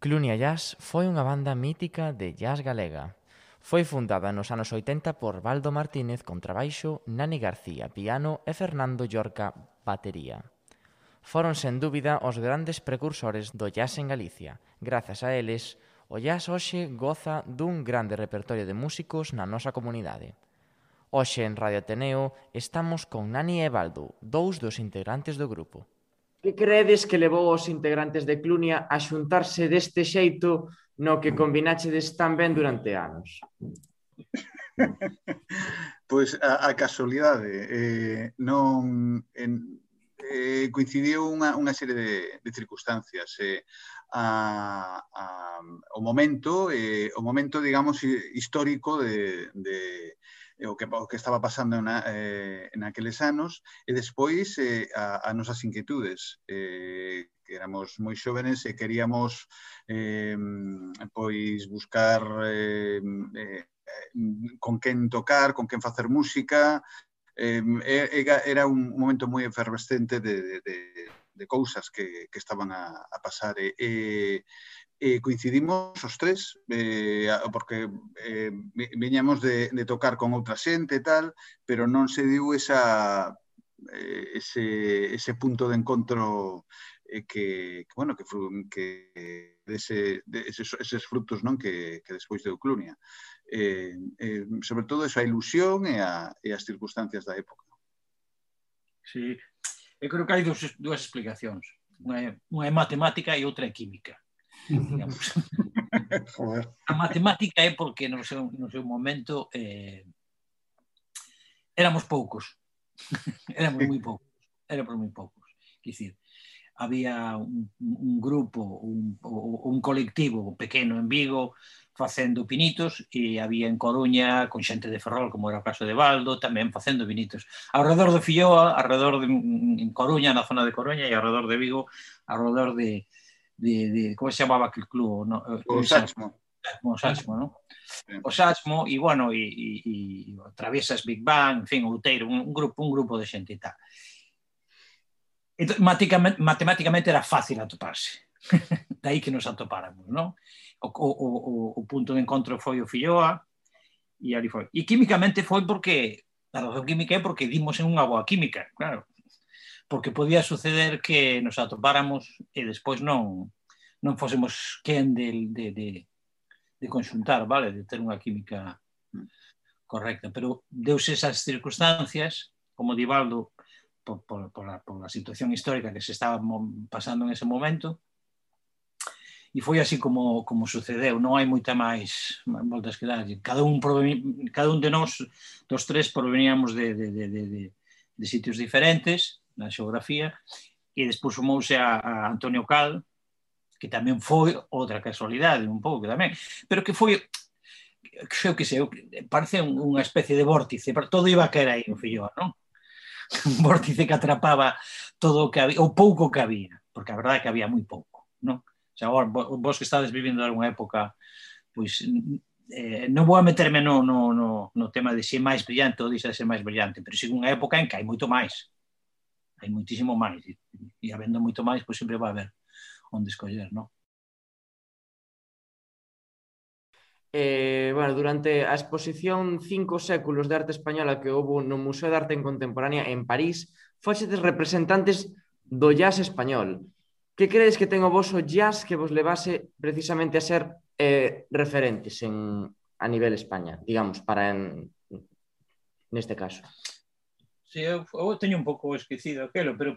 Clunia Jazz foi unha banda mítica de jazz galega. Foi fundada nos anos 80 por Baldo Martínez contrabaixo, Nani García piano e Fernando Llorca batería. Foron sen dúbida os grandes precursores do jazz en Galicia. Grazas a eles, o jazz hoxe goza dun grande repertorio de músicos na nosa comunidade. Hoxe en Radio Ateneo estamos con Nani e Baldo, dous dos integrantes do grupo. Que credes que levou os integrantes de Clunia a xuntarse deste xeito no que combinachedes tan ben durante anos? Pois a casualidade coincidiu unha serie de circunstancias. O momento, digamos, histórico de o que estaba pasando naqueles anos e despois as nosas inquietudes, que éramos moi xóvenes e queríamos pois buscar con quen tocar, con quen facer música. Era un momento moi efervescente de cousas que estaban a pasar e coincidimos os tres porque viñamos de tocar con outra xente e tal, pero non se diu ese punto de encontro que eses frutos, non, que despois deu Clunia. Sobre todo esa ilusión e as circunstancias da época. Sí, eu creo que hai dúas explicacións. Unha é matemática e outra é química. A matemática é porque no seu momento éramos poucos. Éramos moi poucos. Quer dicir, había un grupo, un colectivo pequeno en Vigo facendo pinitos e había en Coruña con xente de Ferrol, como era o caso de Baldo, tamén facendo pinitos. Alrededor de Filloa, en Coruña, na zona de Coruña, e alrededor de Vigo, alrededor de como se chamaba aquel club? O Saxmo. O Saxmo, non? O Saxmo, e bueno, e Traviesas Big Bang, en fin, Outeiro, un grupo de xente e tal. Entón, matemáticamente era fácil atoparse. Daí que nos atopáramos, non? O punto de encontro foi o Filloa e ali foi. E químicamente foi porque, a razón química é porque dimos en unha boa química, claro. Porque podía suceder que nos atopáramos e despois non fósemos quen de conxuntar, vale? De ter unha química correcta. Pero deuse esas circunstancias, como di Baldo, por la situación histórica que se estaba pasando en ese momento, e foi así como sucedeu. Non hai moita máis voltas que dar. Cada un de nós, dos tres, proveníamos de sitios diferentes na xeografía, e despois sumouse a Antonio Cal, que tamén foi outra casualidade, un pouco tamén, pero que foi, parece unha especie de vórtice, todo iba a caer aí no Filloa, non? Un vórtice que atrapaba todo o que había, o pouco que había, porque a verdade é que había moi pouco, non? O sea, vos que estades vivindo algunha época, pois non vou a meterme no tema de se é máis brillante ou deixa de ser máis brillante, pero si unha época en que hai moito máis, hai moitísimo máis, e habendo moito máis, pois sempre vai haber onde escoller, non? Bueno, durante a exposición 5 séculos de arte española que houve no Museo de Arte Contemporánea en París, foxedes representantes do jazz español. Que credes que ten o voso jazz que vos levase precisamente a ser referentes a nivel España, digamos, neste caso? Sí, eu teño un pouco esquecido aquelo, pero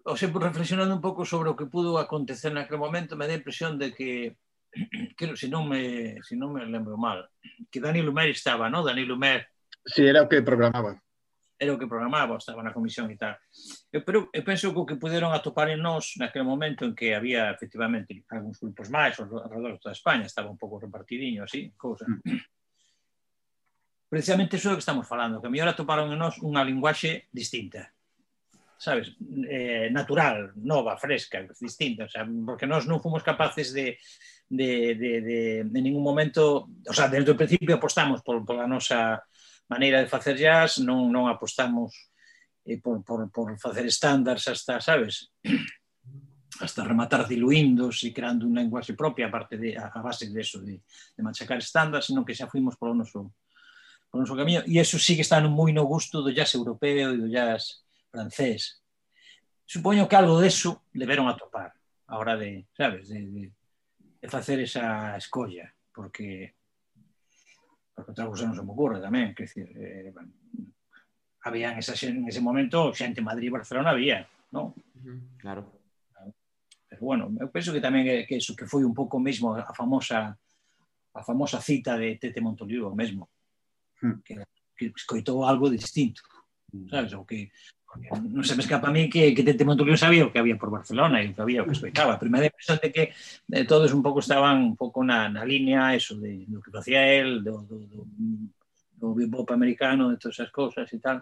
reflexionando un pouco sobre o que pudo acontecer naquele momento, me dá a impresión de que, se non me lembro mal, que Dani Lumer estaba, non? Dani Lumer. Sí, era o que programaba. Era o que programaba, estaba na comisión e tal. Pero eu penso que o que puderon atopar en nós naquele momento en que había, efectivamente, algúns grupos máis alrededor de toda España, estaba un pouco repartidinho, así, cousa. Precisamente iso é o que estamos falando, que a mellor atoparon en nós unha linguaxe distinta, sabes? Natural, nova, fresca, distinta, o sea, porque nós non fomos capaces de ningún momento, o sea, desde o principio apostamos pola nosa maneira de facer jazz, non apostamos por facer estándares hasta, sabes? hasta rematar diluíndos e creando un lenguaxe propia a base de eso, de machacar estándar, senón que xa fuimos polo noso camiño, e eso sí que está moi no gusto do jazz europeo e do jazz francés. Supoño que algo deso deberon atopar a hora de, sabes, de facer esa escolla, porque outra cousa non se me ocurre tamén, que decir, bueno, había en ese momento xente en Madrid e Barcelona había, non? Claro. Pero bueno, eu penso que tamén que eso, que foi un pouco mesmo a famosa cita de Tete Montolivo mesmo, que escoitou algo distinto, sabes? O que non se me escapa a mí que Tete Montolivo sabía o que había por Barcelona e o que había o que escoitaba. A primeira impresión de que todos un pouco estaban un pouco na línea eso do que facía él, do bebop americano, de todas esas cousas e tal.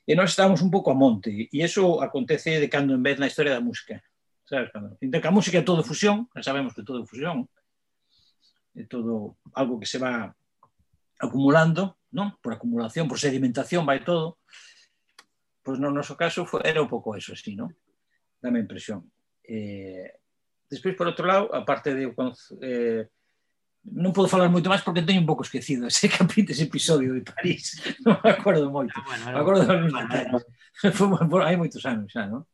E nós estábamos un pouco a monte, e iso acontece de cando en vez na historia da música, sabes? Entón, que a música é todo fusión, já sabemos que todo é fusión, é todo algo que se va acumulando, non? Por acumulación, por sedimentación, vai todo. Pois no noso caso era un pouco eso, así, non? Dame a impresión. Despois, por outro lado, a parte de non podo falar moito máis porque teño un pouco esquecido ese episodio de París. Non me acordo moito. Me acordo dos detalles. Hai moitos anos xa, non?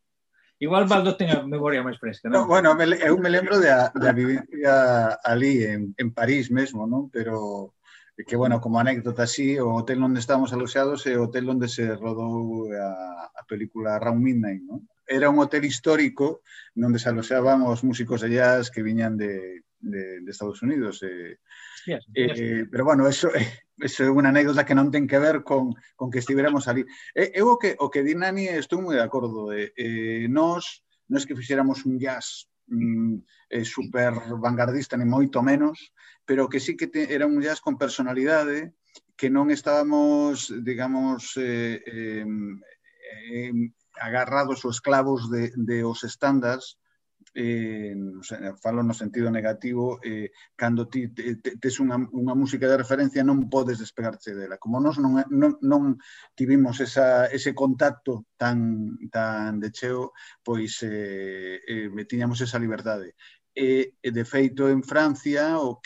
Igual Baldo ten a memoria máis fresca, non? Bueno, eu me lembro da vivencia ali en París mesmo, non? Pero que, bueno, como anécdota así, o hotel onde estábamos aloxados é o hotel onde se rodou a película Round Midnight, non? Era un hotel histórico onde se aloxaban os músicos de jazz que viñan de Estados Unidos. Pero, bueno, eso é unha anécdota que non ten que ver con que estiveramos ali. Eu o que di Nani estou moi de acordo. Nós que fixéramos un jazz super vanguardista, ni moito menos, pero que sí que era un jazz con personalidade, que non estábamos, digamos, agarrados ou esclavos de os estándares, falo no sentido negativo, cando ti tes unha música de referencia non podes despegarte dela. Como nós non tivimos ese contacto tan de cheo, pois tiñamos esa liberdade. De feito, en Francia, o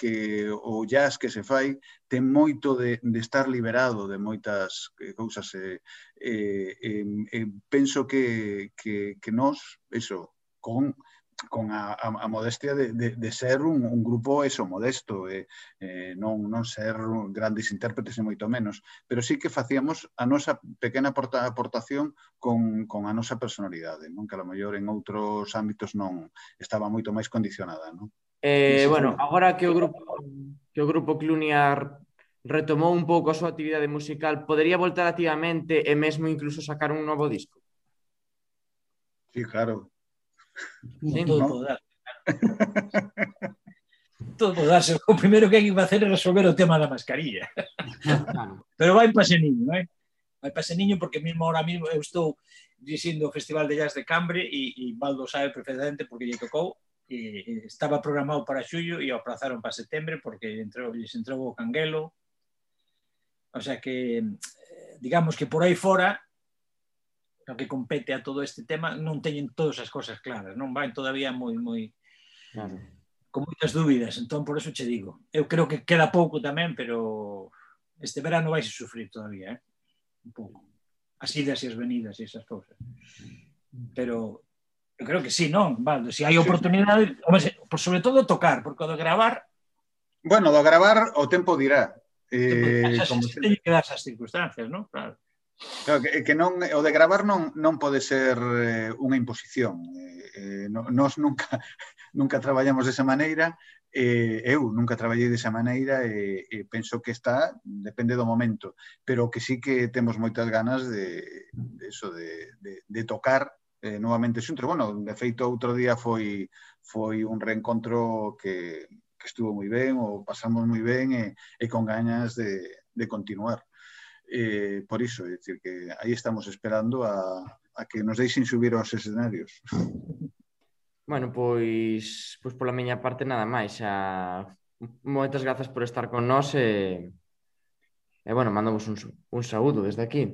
jazz que se fai ten moito de estar liberado de moitas cousas. Penso que nós, eso, con a modestia de ser un grupo eso, modesto, non ser grandes intérpretes e moito menos, pero sí que facíamos a nosa pequena aportación con a nosa personalidade, non? Que a lo mellor en outros ámbitos non estaba moito máis condicionada, non? Bueno, agora que o grupo Clunia retomou un pouco a súa actividade musical, podería voltar activamente e mesmo incluso sacar un novo disco? Sí, claro. Sí, todo pode dar. Todo pode darse. O primeiro que hai que facer é resolver o tema da mascarilla. Pero vai para Seniño, non é? Vai para Seniño porque mesmo ahora mismo eu estou dirixindo o Festival de Jazz de Cambre e Baldo sabe perfectamente porque lle tocou. Estaba programado para xullo e o aplazaron para setembro porque lles entrou o canguelo. O sea que, digamos que por aí fora, o que compete a todo este tema, non teñen todas as cosas claras, non van todavía moi claro, con moitas dúbidas, entón por eso che digo. Eu creo que queda pouco tamén, pero este verano vais a sufrir todavía, un pouco. As idas e as venidas e esas cousas. Pero eu creo que sí, non, Valdo? Se hai oportunidade, sobre todo tocar, porque o de gravar... Bueno, do gravar o tempo dirá. Xa se teñen que dar esas circunstancias, non? Claro. Claro, que non, o de gravar non pode ser unha imposición. Nós nunca traballamos desa maneira, eu nunca traballei desa maneira e penso que depende do momento, pero que sí que temos moitas ganas de tocar novamente xuntos. Bueno, de feito, outro día foi un reencontro que estuvo moi ben, o pasamos moi ben e con ganas de continuar. Por iso, é dicir que aí estamos esperando a que nos deixen subir aos escenarios. Bueno, pois pola miña parte nada máis. Moitas grazas por estar con nós e bueno, mandamos un saúdo desde aquí.